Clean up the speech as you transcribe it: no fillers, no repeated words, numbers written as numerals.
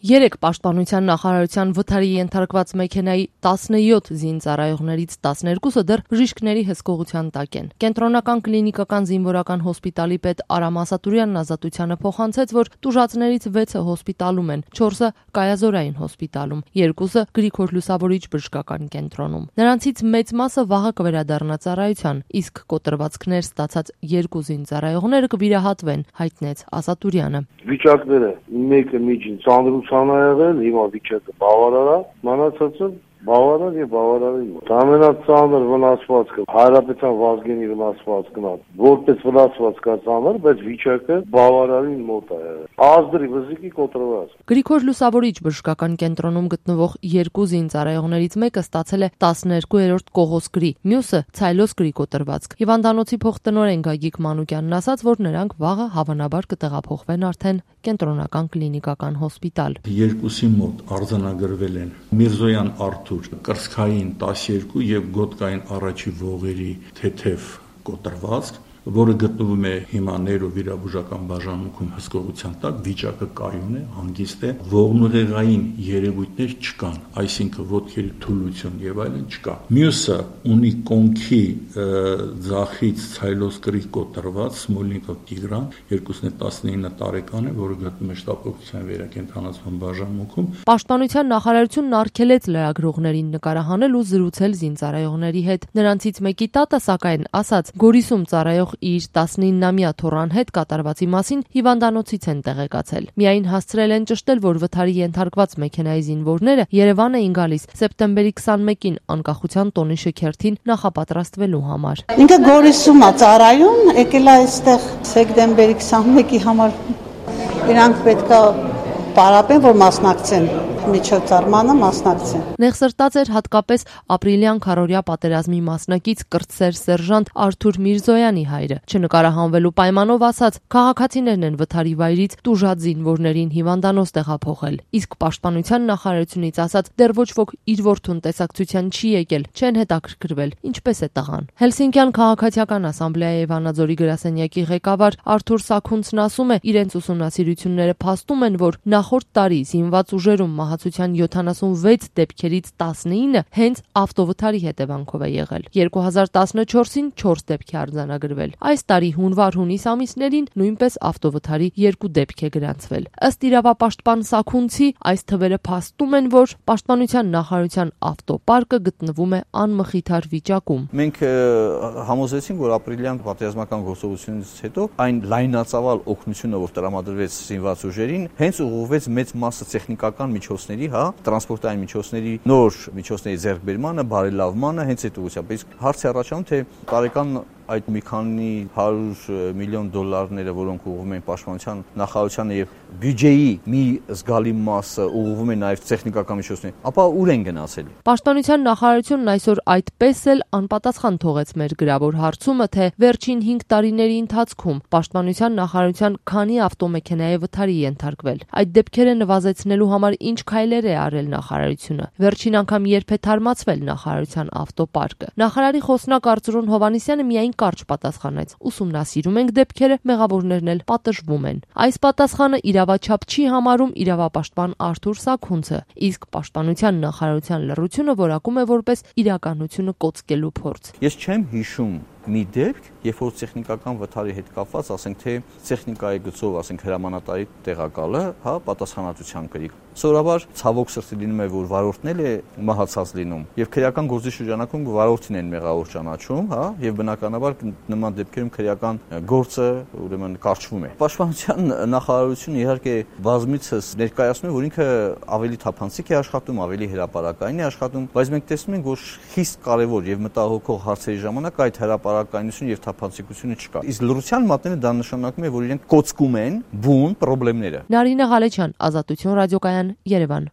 Երեկ Պաշտպանության նախարարության վթարի ենթարկված մեքենայի 17 զինծառայողներից 12-ը դեռ բժիշկների հսկողության տակ են։ Կենտրոնական կլինիկական զինվորական հոսպիտալի պետ Արամ Ասատուրյանն ազատությանը փոխանցեց, որ տուժածներից 6-ը հոսպիտալում են, 4-ը կայազորային հոսպիտալում, 2-ը Գրիգոր Լուսավորիչ բժշկական կենտրոնում։ Նրանցից մեծ մասը վաղը կվերադառնա ծառայության, իսկ կոտրվածքներ ստացած 2 զինծառայողները կվիրահատվեն, հայտնեց Ասատուրյանը։ Վիճակները մեկը միջին ծանրության ա եղել, հիմա վիճակը բավարար է, մնացածը բավարար եւ բավարարին մոտ։ Ամենածանր վնասվածքը Հայրապետության Վազգենի վնասվածքն է, որպես վնասվածք է ծանր, բայց վիճակը բավարարին մոտ է եղել։ Ազդրի վզիկի կոտրված։ Գրիգոր Լուսավորիչ բժշկական կենտրոնում գտնվող 2 զինծառայողներից մեկը ստացել է 12-րդ կողոսկրի, մյուսը ցայլոսկրի կոտրվածք։ Հիվանդանոցի փոխտնօրեն Գագիկ Մանուկյանն ասաց, որ նրանք վաղը հավանաբար կտեղափոխվեն արդեն կենտրոնական կլինիկական հոսպիտալ։ Երկուսի մոտ արձանագրվել են Միրզոյան Արթուր կրծքային 12 եւ գոտկային առաջի ողերի թեթև կոտրվածք, որը գտնվում է հիմա նեյրովիրաբուժական բաժանմունքում հսկողության տակ, վիճակը կայուն է, հանգիստ է, ողնուղեղային երևույթներ չկան, այսինքն ոտքերի թուլություն եւ այլն չկա։ Մյուսը ունի կոնքի ձախից ցայլոսկրի կոտրված Սմոլնիկով Տիգրան, 219 տարեկան է, որը գտնվում է շտապօգնության վերակենդանացման բաժանմունքում։ Պաշտպանության նախարարությունն արգելեց լրագրողներին նկարահանել ու զրուցել զինծառայողների հետ։ Նրանցից մեկի տատը, սակայն, ասաց, Գորիսում ծառայող իր 19-ամյա թոռան հետ կատարվածի մասին հիվանդանոցից են տեղեկացել։ Միայն հասցրել են ճշտել, որ վթարի ենթարկված մեքենայի զինվորները Երևան էին գալիս սեպտեմբերի 21-ին անկախության տոնի շքերթին նախապատրաստվելու համար։ Ինքը Գորիսում է ծառայում, եկել է այստեղ սեպտեմբերի 21-ի համար։ Իրանք պետք է պարապեն, որ մասնակցեն միջոցառմանը մասնակցեն։ Նեղսրտած էր հատկապես ապրիլյան քարորյա պատերազմի մասնակից կրտսեր սերժանտ Արթուր Միրզոյանի հայրը, չնկարահանվելու պայմանով ասաց, քաղաքացիներն են վթարի վայրից տուժած զինվորներին հիվանդանոց տեղափոխել, իսկ Պաշտպանության նախարարությունից ասաց, դեռ ոչ ոք իր որդուն տեսակցության չի եկել, չեն հետաքրքրվել, ինչպես է տղան։ Հելսինկյան քաղաքացիական ասամբլեայի Վանաձորի գրասենյակի ղեկավար Արթուր Սաքունցն ասում է, իրենց ուսումնասիրությունները փաստում են, որ նախորդ տարի զինված ուժերում մահացության 76 դեպքերից 19-ը հենց ավտովթարի հետևանքով է եղել։ 2014-ին 4 դեպք է արձանագրվել։ Այս տարի հունվար-հունիս ամիսներին նույնպես ավտովթարի 2 դեպք է գրանցվել։ Ըստ իրավապաշտպան Սաքունցի, այս թվերը փաստում են, որ Պաշտպանության նախարարության ավտոպարկը գտնվում է անմխիթար վիճակում։ Մենք համոզեցինք, որ ապրիլյան պատերազմական գործողությունից հետո այն լայնածավալ օգնությունը, որ տրամադրվեց զինված ուժերին, հենց ուղղվեց մեծ մասը տեխնիկական միջոցների, տրանսպորտային միջոցների, նոր միջոցների ձեռքբերմանը, բարելավմանը, հենց այդ ուղղությամբ։ Իսկ հարցը առաջանում, թե տարեկան այդ մի քանի 100 միլիոն դոլարները, որոնք ուղղվում են Պաշտպանության նախարարությանը եւ բյուջեի մի զգալի մասը ուղղվում է նաեւ տեխնիկական միջոցներին, ապա ուր են գնացել։ Պաշտպանության նախարարությունն այսօր այդպես էլ անպատասխան թողեց մեր գրավոր հարցումը, թե վերջին 5 տարիների ընթացքում Պաշտպանության նախարարության քանի ավտոմեքենա է վթարի ենթարկվել։ Այդ դեպքերը նվազեցնելու համար ինչ քայլեր է արել նախարարությունը։ Վերջին անգամ երբ է թարմացվել նախարարության ավտոպարկը։ Նախարարի խոսնակ Արծրուն Հովհաննիսյանը միայն կարճ պատասխանեց. ուսումնասիրում ենք դեպքերը, մեղավորներն էլ պատժվում են։ Այս պատասխանը իրավաչափ չի համարում իրավապաշտպան Արթուր Սաքունցը, իսկ Պաշտպանության նախարարության լռությունը որակում է որպես իրականությունը կոծկելու փորձ։ Ես չեմ հիշում մի դեպք, երբ որ տեխնիկական վթարի հետ կապված, ասենք թե տեխնիկայի գծով, ասենք հրամանատարի տեղակալը, պատասխանատվության կրի։ Սովորաբար ցավոք սրտի լինում է, որ վարորդն էլ է մահացած լինում, եւ քրեական գործի շրջանակում վարորդին են մեղավոր ճանաչում, եւ բնականաբար նման դեպքերում քրեական գործը ուրեմն կարճվում է։ Պաշտպանության նախարարությունը իհարկե բազմիցս ներկայացնում է, որ ինքը ավելի թափանցիկ է աշխատում, ավելի հրապարակային է աշխատում, բայց մենք տեսնում ենք, որ խիստ կարևոր եւ մտահոգող հարցերի ժամանակ այդ հրապարակայնություն եւ թափանցիկությունը չկա։ Իսկ լռության մատները դա նշանակում է, որ իրենք կոծկում են բուն խնդիրները։ Նարինե Ղալեչյան, Ազատություն ռադիոկայան, Երևան։